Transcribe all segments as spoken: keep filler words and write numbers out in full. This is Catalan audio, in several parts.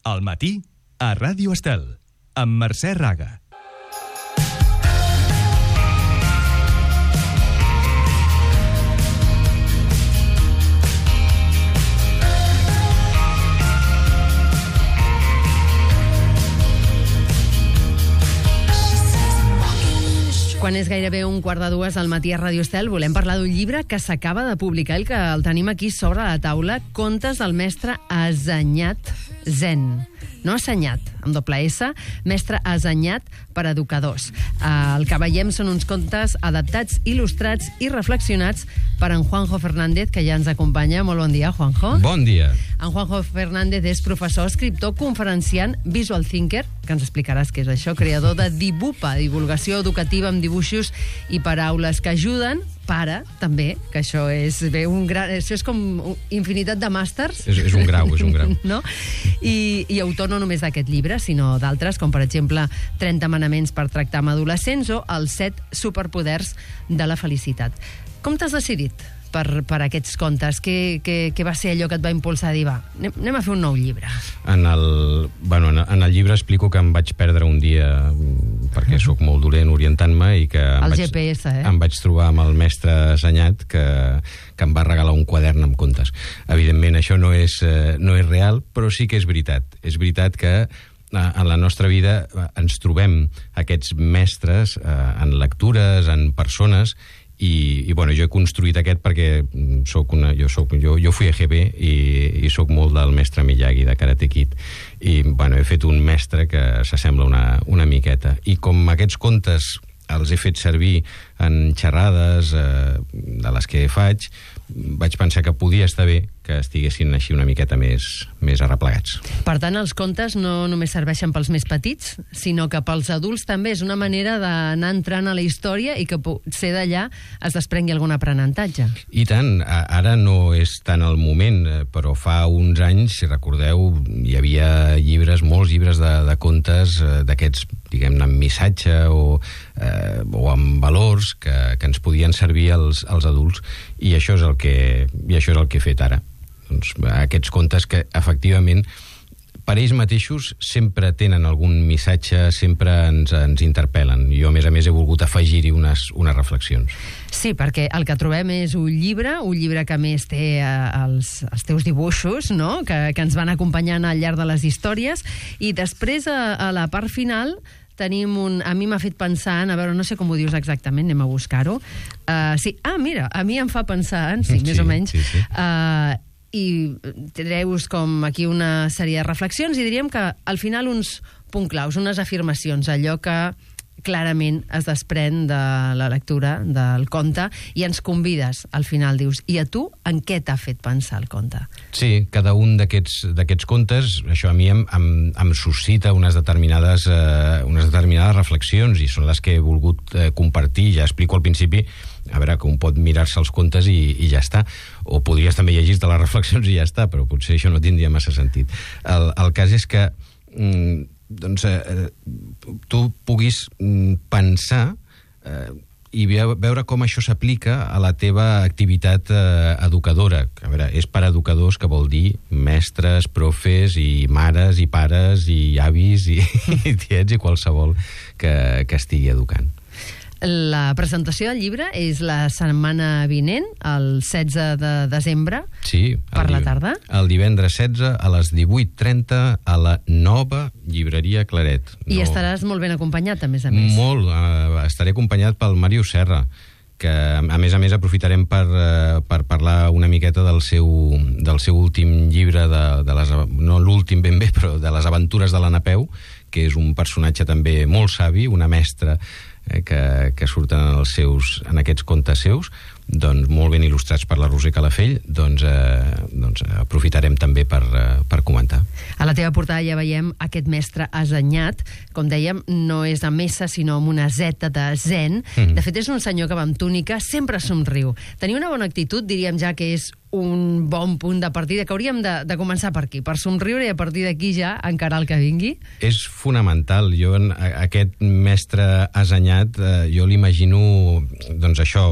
Al matí, a Ràdio Estel, amb Mercè Raga. Quan és gairebé un quart de dues al matí a Ràdio Estel, volem parlar d'un llibre que s'acaba de publicar i que el tenim aquí sobre la taula, Contes del mestre Assenyat Zen. No assenyat, amb doble S, mestre assenyat per educadors. El que veiem són uns contes adaptats, il·lustrats i reflexionats per en Juanjo Fernández, que ja ens acompanya. Molt bon dia, Juanjo. Bon dia. En Juanjo Fernández és professor, escriptor, conferenciant, visual thinker, que ens explicaràs què és això, creador de Dibupa, divulgació educativa amb dibuixos i paraules que ajuden, pare, també, que això és bé, un gran, això és com infinitat de màsters. És, és un grau, és un grau. No? I, I autor no només d'aquest llibre, sinó d'altres, com per exemple trenta manaments per tractar amb adolescents o els set superpoders de la felicitat. Com t'has decidit per, per aquests contes? Què, què, què va ser allò que et va impulsar a dir, va, anem, anem a fer un nou llibre? En el, bueno, en, en el llibre explico que em vaig perdre un dia perquè sóc molt dolent orientant-me i que em, el vaig, G P S, eh? em vaig trobar amb el mestre Assenyat que, que em va regalar un quadern amb contes. Evidentment això no és, no és real, però sí que és veritat. És veritat que en la nostra vida ens trobem aquests mestres en lectures, en persones. I, i bueno, jo he construït aquest perquè soc una, jo, soc, jo, jo fui a G B i, i soc molt del mestre Miyagi de Karate Kid i bueno, he fet un mestre que s'assembla una, una miqueta, i com aquests contes els he fet servir en xerrades eh, de les que faig, vaig pensar que podia estar bé que estiguessin així una miqueta més, més arreplegats. Per tant, els contes no només serveixen pels més petits, sinó que pels adults també és una manera d'anar entrant a la història i que potser d'allà es desprengui algun aprenentatge. I tant, ara no és tant el moment, però fa uns anys, si recordeu, hi havia llibres, molts llibres de, de contes d'aquests, diguem-ne, amb missatge o, eh, o amb valors que, que ens podien servir als, als adults, i això és el que, i això és el que he fet ara. Doncs, aquests contes que efectivament per ells mateixos sempre tenen algun missatge, sempre ens, ens interpel·len. Jo, a més a més, he volgut afegir-hi unes, unes reflexions. Sí, perquè el que trobem és un llibre, un llibre que a més té eh, els, els teus dibuixos, no? que, que ens van acompanyant al llarg de les històries, i després, a, a la part final, tenim un... A mi m'ha fet pensar en... A veure, no sé com ho dius exactament, anem a buscar-ho. Uh, sí, ah, mira, a mi em fa pensar en... Sí, sí, més o menys. Sí, sí. Uh, I treus com aquí una sèrie de reflexions i diríem que al final uns punts claus, unes afirmacions, allò que clarament es desprèn de la lectura del conte, i ens convides, al final dius, i a tu en què t'ha fet pensar el conte? Sí, cada un d'aquests d'aquests contes, això a mi em, em, em suscita unes determinades, eh, unes determinades reflexions, i són les que he volgut eh, compartir. Ja explico al principi, a veure, que un pot mirar-se els contes i, i ja està, o podries també llegir-te les reflexions i ja està, però potser això no tindria massa sentit. El, el cas és que mm, doncs, eh, tu puguis mm, pensar eh, i veure com això s'aplica a la teva activitat eh, educadora. A veure, és per educadors, que vol dir mestres, profes, i mares, i pares, i avis, i, i tiets, i qualsevol que, que estigui educant. La presentació del llibre és la setmana vinent, el setze de desembre, sí, per la tarda. El divendres setze a les divuit trenta a la nova llibreria Claret. I no... estaràs molt ben acompanyat, a més a més. Molt, uh, estaré acompanyat pel Màrius Serra, que a més a més aprofitarem per, uh, per parlar una miqueta del seu, del seu últim llibre, de, de les, no l'últim ben bé, però de les aventures de la Napeu, que és un personatge també molt savi, una mestra eh, que, que surten en, els seus, en aquests contes seus, doncs molt ben il·lustrats per la Roser Calafell, doncs, eh, doncs aprofitarem també per, eh, per comentar. A la teva portada ja veiem aquest mestre assenyat, com dèiem, no és amb S, sinó amb una Z de zen. Mm-hmm. De fet, és un senyor que va amb túnica, sempre somriu. Tenir una bona actitud, diríem ja que és un bon punt de partida, que hauríem de, de començar per aquí, per somriure, i a partir d'aquí ja encarar el que vingui. És fonamental. Jo, en aquest mestre assenyat, eh, jo l'imagino, doncs això,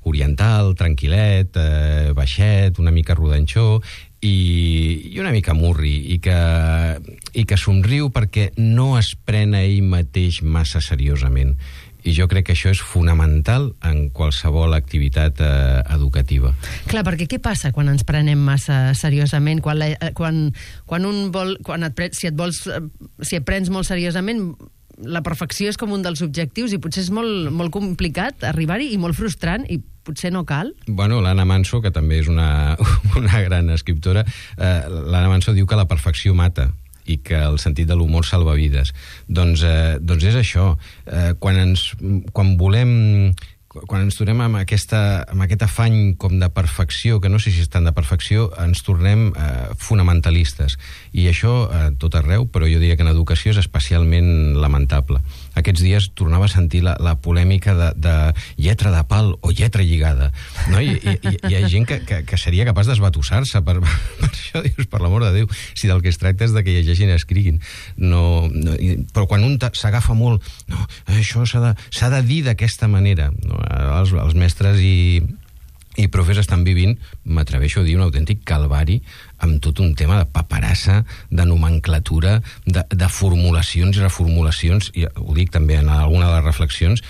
oriental, tranquil·let, eh, baixet, una mica rodanxó, i, i una mica murri, i que, i que somriu perquè no es pren a ell mateix massa seriosament. I jo crec que això és fonamental en qualsevol activitat eh, educativa. Clar, perquè què passa quan ens prenem massa seriosament? Quan, la, quan, quan un vol... Quan et, pre- si, et vols, si et prens molt seriosament, la perfecció és com un dels objectius i potser és molt, molt complicat arribar-hi i molt frustrant i potser no cal? Bueno, l'Anna Manso, que també és una, una gran escriptora, eh, l'Anna Manso diu que la perfecció mata i que el sentit de l'humor salva vides. Doncs, eh, doncs és això. Eh, quan, ens, quan volem... Quan ens tornem amb, aquesta, amb aquest afany com de perfecció, que no sé si és tant de perfecció, ens tornem eh, fonamentalistes. I això a eh, tot arreu, però jo diria que en educació és especialment lamentable. Aquests dies tornava a sentir la, la polèmica de, de lletra de pal o lletra lligada. No? I, i, i hi ha gent que, que, que seria capaç d'esbatussar-se per, per això, dius, per l'amor de Déu, si del que es tracta és de que llegeixin i escriguin. No, no, i, però quan un s'agafa molt, no, això s'ha de, s'ha de dir d'aquesta manera, no? Els, els mestres i, i profes estan vivint, m'atreveixo a dir, un autèntic calvari amb tot un tema de paperassa, de nomenclatura, de, de formulacions i reformulacions, i ho dic també en alguna de les reflexions,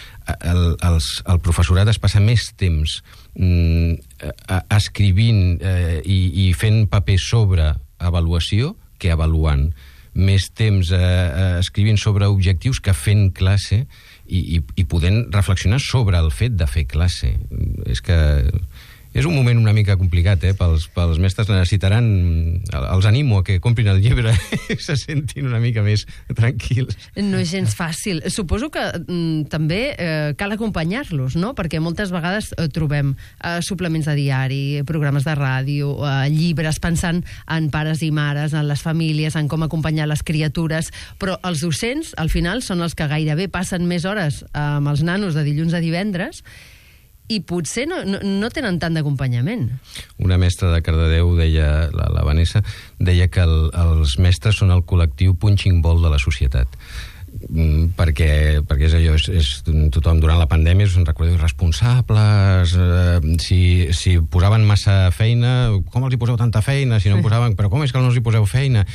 el, els, el professorat es passa més temps mm, escrivint eh, i, i fent paper sobre avaluació que avaluant. Més temps eh, escrivint sobre objectius que fent classe i, i, i podent reflexionar sobre el fet de fer classe. És que és un moment una mica complicat, eh? Pels, pels mestres necessitaran... Els animo a que comprin el llibre i se sentin una mica més tranquils. No és gens fàcil. Suposo que mm, també eh, cal acompanyar-los, no? Perquè moltes vegades eh, trobem eh, suplements de diari, programes de ràdio, eh, llibres pensant en pares i mares, en les famílies, en com acompanyar les criatures, però els docents, al final, són els que gairebé passen més hores eh, amb els nanos de dilluns a divendres i potser no, no, no tenen tant d'acompanyament. Una mestra de Cardedeu deia, la, la Vanessa, deia que el, els mestres són el col·lectiu punching ball de la societat. Mm, perquè, perquè és allò, és, és, tothom durant la pandèmia us en recordeu irresponsables, eh, si, si posaven massa feina, com els hi poseu tanta feina? Si no en posaven, però com és que no els hi poseu feina?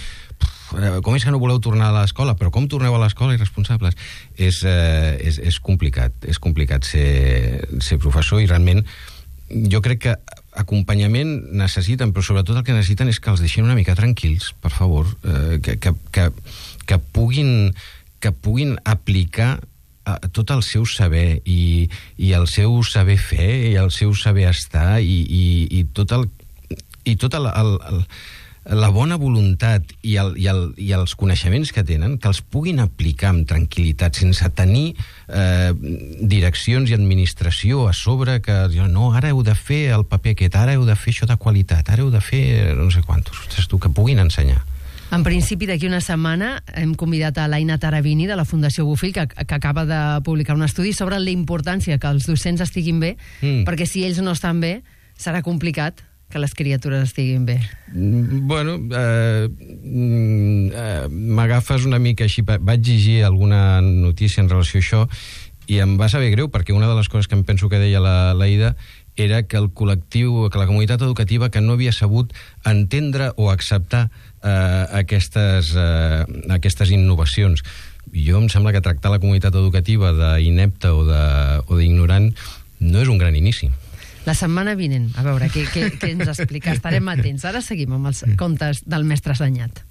Com és que no voleu tornar a l'escola? Però com torneu a l'escola irresponsables? És, eh, és, és complicat, és complicat ser, ser professor i realment jo crec que acompanyament necessiten, però sobretot el que necessiten és que els deixin una mica tranquils, per favor, eh, que, que, que, que, puguin, que puguin aplicar eh, tot el seu saber i, i el seu saber fer i el seu saber estar i, i, i tot el i tot el, el, el la bona voluntat i, el, i, el, i els coneixements que tenen, que els puguin aplicar amb tranquil·litat, sense tenir eh, direccions i administració a sobre que no, ara heu de fer el paper aquest, ara heu de fer això de qualitat, ara heu de fer no sé quantos, ostres, tu, que puguin ensenyar. En principi, d'aquí una setmana hem convidat a l'Aina Taravini de la Fundació Bofill, que, que acaba de publicar un estudi sobre la importància que els docents estiguin bé, mm. perquè si ells no estan bé, serà complicat que les criatures estiguin bé. Bueno, eh, eh, m'agafes una mica així. Vaig llegir alguna notícia en relació a això i em va saber greu, perquè una de les coses que em penso que deia la, la Ida era que el col·lectiu, que la comunitat educativa que no havia sabut entendre o acceptar eh, aquestes, eh, aquestes innovacions. Jo em sembla que tractar la comunitat educativa d'inepta o d'ignorant no és un gran inici. La setmana vinent, a veure què, què, què ens explica. Estarem atents. Ara seguim amb els contes del mestre Assenyat.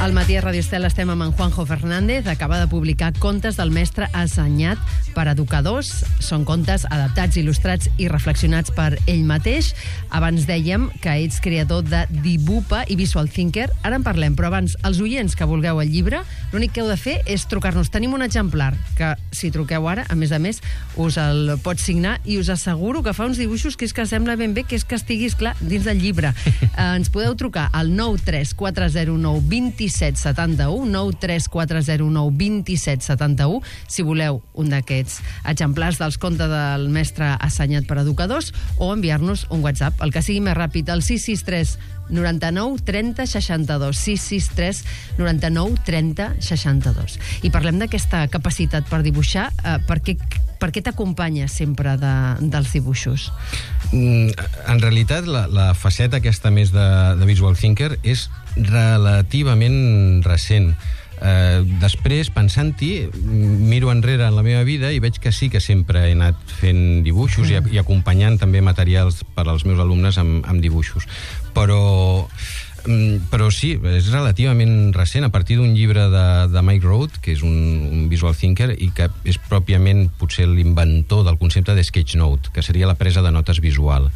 Al matí a Radio Estel estem amb en Juanjo Fernández. Acaba de publicar Contes del mestre Assenyat per educadors. Són contes adaptats, il·lustrats i reflexionats per ell mateix. Abans dèiem que ets creador de Dibupa i Visual Thinker. Ara en parlem, però abans, els oients que vulgueu el llibre, l'únic que heu de fer és trucar-nos. Tenim un exemplar que, si truqueu ara, a més a més, us el pots signar i us asseguro que fa uns dibuixos que és que sembla ben bé que és que estiguis, clar, dins del llibre. Eh, ens podeu trucar al nou tres quatre zero nou dos set setanta-u, nou tres quatre zero nou dos set setanta-u, si voleu un d'aquests exemplars dels contes del mestre assenyat per educadors, o enviar-nos un WhatsApp, el que sigui més ràpid, al sis sis tres noranta-nou trenta seixanta-dos, sis sis tres noranta-nou trenta seixanta-dos. I parlem d'aquesta capacitat per dibuixar. Eh, per què, per què t'acompanya sempre de, dels dibuixos? Mm, en realitat, la, la faceta aquesta més de, de visual thinker és relativament recent. Eh, després, pensant-hi, miro enrere en la meva vida i veig que sí que sempre he anat fent dibuixos mm. i, i acompanyant també materials per als meus alumnes amb, amb dibuixos. Però, però sí, és relativament recent, a partir d'un llibre de, de Mike Road, que és un, un visual thinker i que és pròpiament potser l'inventor del concepte de sketchnote, que seria la presa de notes visual.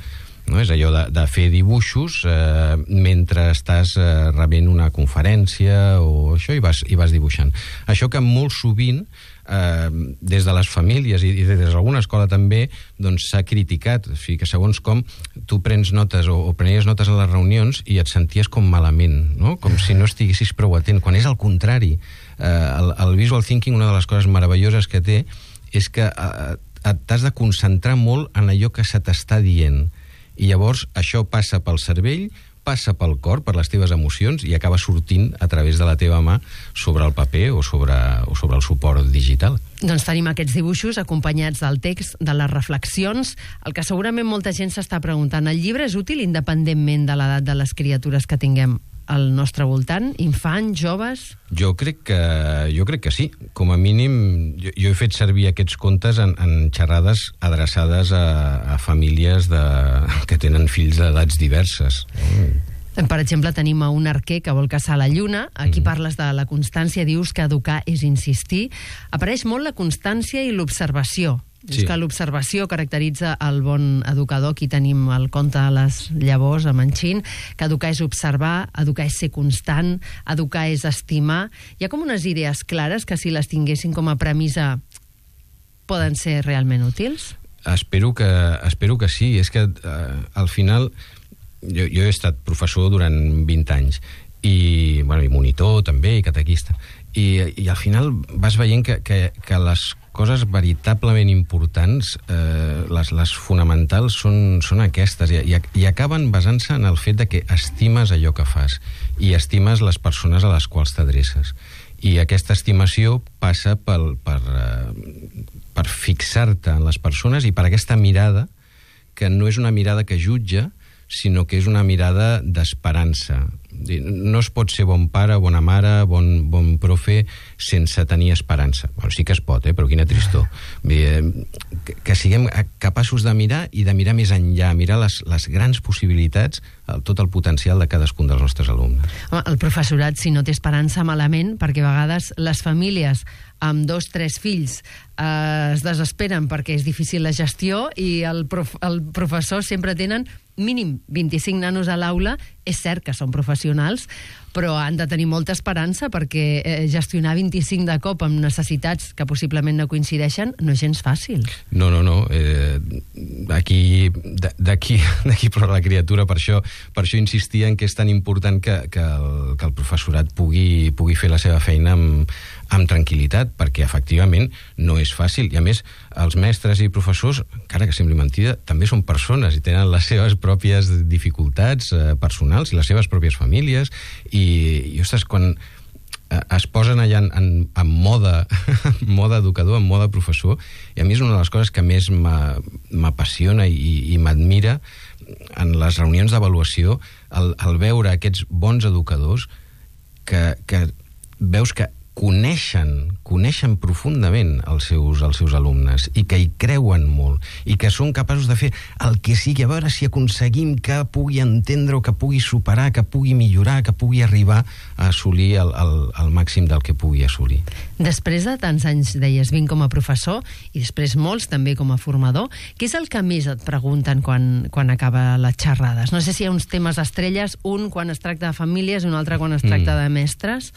No? És allò de, de fer dibuixos eh, mentre estàs eh, rebent una conferència o això, i vas, i vas dibuixant. Això que molt sovint eh, des de les famílies i, i des d'alguna escola també doncs s'ha criticat, o sigui, que segons com tu prens notes o, o prenies notes a les reunions i et senties com malament, no? Com si no estiguessis prou atent, quan és al contrari. Eh, el, el visual thinking, una de les coses meravelloses que té és que eh, t'has de concentrar molt en allò que se t'està dient. I llavors això passa pel cervell, passa pel cor, per les teves emocions, i acaba sortint a través de la teva mà sobre el paper o sobre, o sobre el suport digital. Doncs tenim aquests dibuixos acompanyats del text, de les reflexions, el que segurament molta gent s'està preguntant. El llibre és útil independentment de l'edat de les criatures que tinguem al nostre voltant? Infants, joves? Jo crec que, jo crec que sí. Com a mínim, jo, jo he fet servir aquests contes en, en xerrades adreçades a, a famílies de, que tenen fills d'edats diverses. Mm. Per exemple, tenim a un arquer que vol caçar la lluna. Aquí mm. parles de la constància, dius que educar és insistir. Apareix molt la constància i l'observació. Sí. És que l'observació caracteritza el bon educador. Aquí tenim el conte de les llavors, a Manxin, que educar és observar, educar és ser constant, educar és estimar. Hi ha com unes idees clares que, si les tinguessin com a premissa, poden ser realment útils? Espero que, espero que sí. És que, eh, al final, jo, jo he estat professor durant vint anys, i, bueno, i monitor també, i catequista, i, i al final vas veient que, que, que les coses veritablement importants, eh, les, les fonamentals, són, són aquestes, i, i, i acaben basant-se en el fet de que estimes allò que fas i estimes les persones a les quals t'adreces. I aquesta estimació passa pel, per, eh, per fixar-te en les persones i per aquesta mirada, que no és una mirada que jutja, sinó que és una mirada d'esperança. No es pot ser bon pare, bona mare, bon, bon profe, sense tenir esperança. Bueno, sí que es pot, eh? Però quina tristor. Bé, que, que siguem capaços de mirar i de mirar més enllà, mirar les, les grans possibilitats, el, tot el potencial de cadascun dels nostres alumnes. Home, el professorat, si no té esperança, malament, perquè a vegades les famílies amb dos, tres fills eh, es desesperen perquè és difícil la gestió, i el, prof, el professor sempre tenen mínim vint-i-cinc nanos a l'aula. És cert que són professionals, però han de tenir molta esperança, perquè eh, gestionar vint-i-cinc de cop amb necessitats que possiblement no coincideixen no és gens fàcil. No, no, no. Eh, aquí, d'aquí, d'aquí però la criatura, per això, per això insistia en que és tan important que, que, el, que el professorat pugui, pugui fer la seva feina amb, amb tranquil·litat, perquè efectivament no és fàcil. I a més, els mestres i professors, encara que sembli mentida, també són persones i tenen les seves pròpies dificultats eh, personals i les seves pròpies famílies, i, i ostres, quan es posen allà en, en, en moda, moda educador, en moda professor, i a mi és una de les coses que més m'apassiona i, i m'admira en les reunions d'avaluació, el, el veure aquests bons educadors que, que veus que coneixen, coneixen profundament els seus, els seus alumnes, i que hi creuen molt, i que són capaços de fer el que sigui, a veure si aconseguim que pugui entendre, o que pugui superar, que pugui millorar, que pugui arribar a assolir el, el, el màxim del que pugui assolir. Després de tants anys, deies, vint com a professor, i després molts també com a formador, què és el que més et pregunten quan, quan acaba les xerrades? No sé si hi ha uns temes estrelles, un quan es tracta de famílies, un altre quan es tracta mm. de mestres.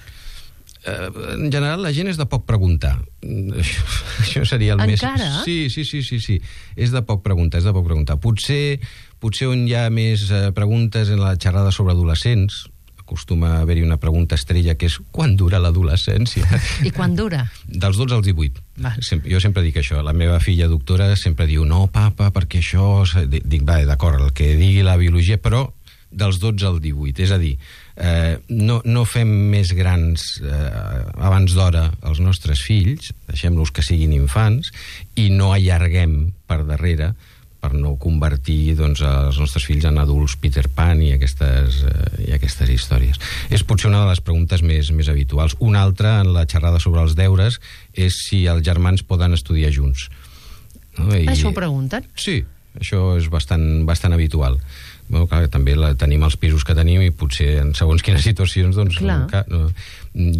En general, la gent és de poc preguntar. Això, això seria el Encara? més... Encara? Sí, sí, sí, sí, sí. És de poc preguntar, és de poc preguntar. Potser, potser on hi ha més preguntes en la xerrada sobre adolescents, acostuma a haver-hi una pregunta estrella que és quan dura l'adolescència? I quan dura? Dels dotze als divuit. Va. Sempre, jo sempre dic això. La meva filla doctora sempre diu no, papa, perquè això... Dic, va, d'acord, el que digui la biologia, però dels dotze al divuit. És a dir, eh, no, no fem més grans eh, abans d'hora els nostres fills, deixem-los que siguin infants, i no allarguem per darrere per no convertir doncs, els nostres fills en adults Peter Pan i aquestes, eh, i aquestes històries. És potser una de les preguntes més, més habituals. Una altra, en la xerrada sobre els deures, és si els germans poden estudiar junts. No? I... Això ho pregunten? Sí, això és bastant, bastant habitual. Bueno, clar, també la, tenim els pisos que tenim i potser en segons quines situacions doncs, clar, no,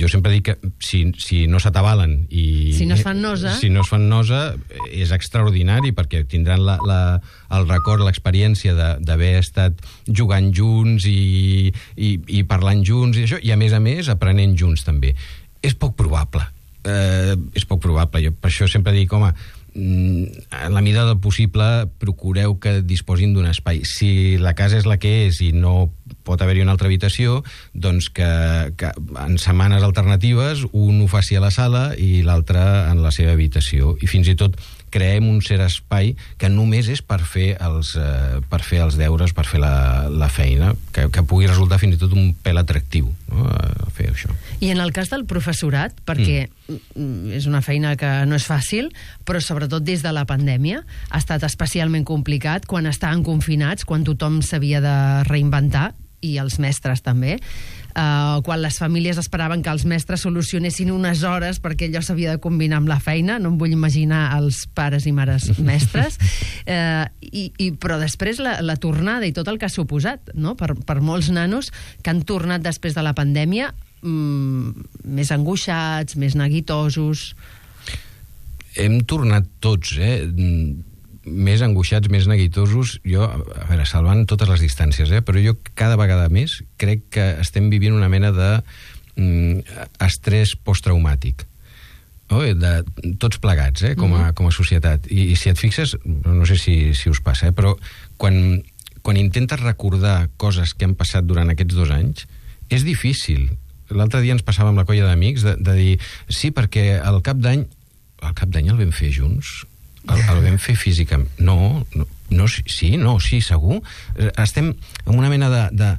jo sempre dic que si, si no s'atabalen i si no es fan nosa si no es fan nosa és extraordinari perquè tindran la, la, el record, l'experiència d'haver estat jugant junts i, i, i parlant junts i, això, i a més a més aprenent junts també. És poc probable eh, és poc probable, jo per això sempre dic, home, en la mida del possible procureu que disposin d'un espai. Si la casa és la que és i no pot haver-hi una altra habitació, doncs que, que en setmanes alternatives un ho faci a la sala i l'altre en la seva habitació. I fins i tot creem un cert espai que només és per fer els, eh, per fer els deures, per fer la, la feina, que, que pugui resultar fins i tot un pèl atractiu, no?, fer això. I en el cas del professorat, perquè mm. és una feina que no és fàcil, però sobretot des de la pandèmia ha estat especialment complicat quan estaven confinats, quan tothom s'havia de reinventar, i els mestres també, Uh, quan les famílies esperaven que els mestres solucionessin unes hores perquè allò s'havia de combinar amb la feina. No em vull imaginar els pares i mares mestres. Uh, i, i, però després la, la tornada i tot el que ha suposat, no?, per, per molts nanos que han tornat després de la pandèmia mm, més angoixats, més neguitosos. Hem tornat tots, eh? més angoixats, més neguitosos. Jo, a veure, salvant totes les distàncies, eh? però jo cada vegada més crec que estem vivint una mena de mm, estrès posttraumàtic. Oh, de, tots plegats, eh? com, a, com a societat. I, i si et fixes, no sé si, si us passa, eh? però quan, quan intentes recordar coses que han passat durant aquests dos anys, és difícil. L'altre dia ens passàvem la colla d'amics de, de dir, sí, perquè al cap d'any, al cap d'any el vam fer junts, El, el vam fer físicament. No, no, no, sí, no, sí, segur. Estem en una mena de, de,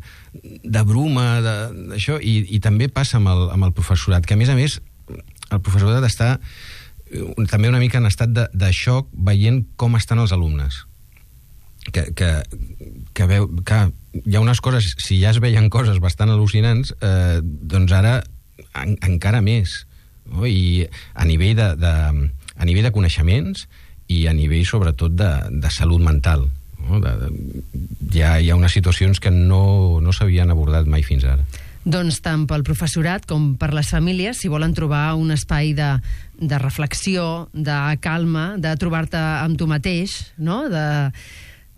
de bruma, d'això, i, i també passa amb el, amb el professorat, que a més a més el professorat està també una mica en estat de, de xoc veient com estan els alumnes. Que, que, que, veu, que hi ha unes coses, si ja es veien coses bastant al·lucinants, eh, doncs ara en, encara més. No? I a nivell de, de, a nivell de coneixements i a nivell, sobretot, de, de salut mental. No? De, de, hi, ha, hi ha unes situacions que no, no s'havien abordat mai fins ara. Doncs tant pel professorat com per les famílies, si volen trobar un espai de, de reflexió, de calma, de trobar-te amb tu mateix, no? de,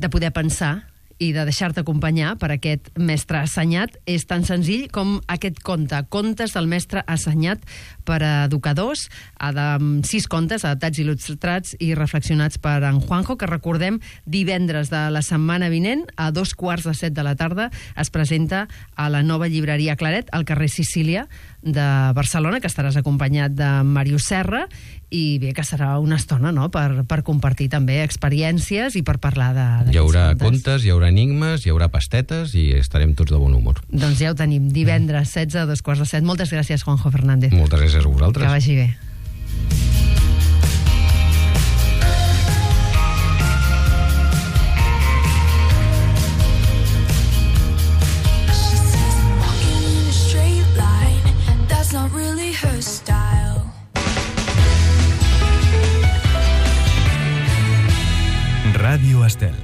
de poder pensar i de deixar-te acompanyar per aquest mestre assenyat, és tan senzill com aquest conte, Contes del mestre assenyat per a educadors, amb sis contes adaptats, il·lustrats i reflexionats per en Juanjo, que recordem divendres de la setmana vinent a dos quarts de set de la tarda es presenta a la nova llibreria Claret, al carrer Sicília de Barcelona, que estaràs acompanyat de Màrius Serra, i bé, que serà una estona, no?, per, per compartir també experiències i per parlar de, hi haurà contes, hi haurà enigmes, hi haurà pastetes i estarem tots de bon humor. Doncs ja ho tenim, divendres setze a dos quarts de set. Moltes gràcies, Juanjo Fernández. Moltes gràcies a vosaltres. Que vagi bé. Ràdio Estel.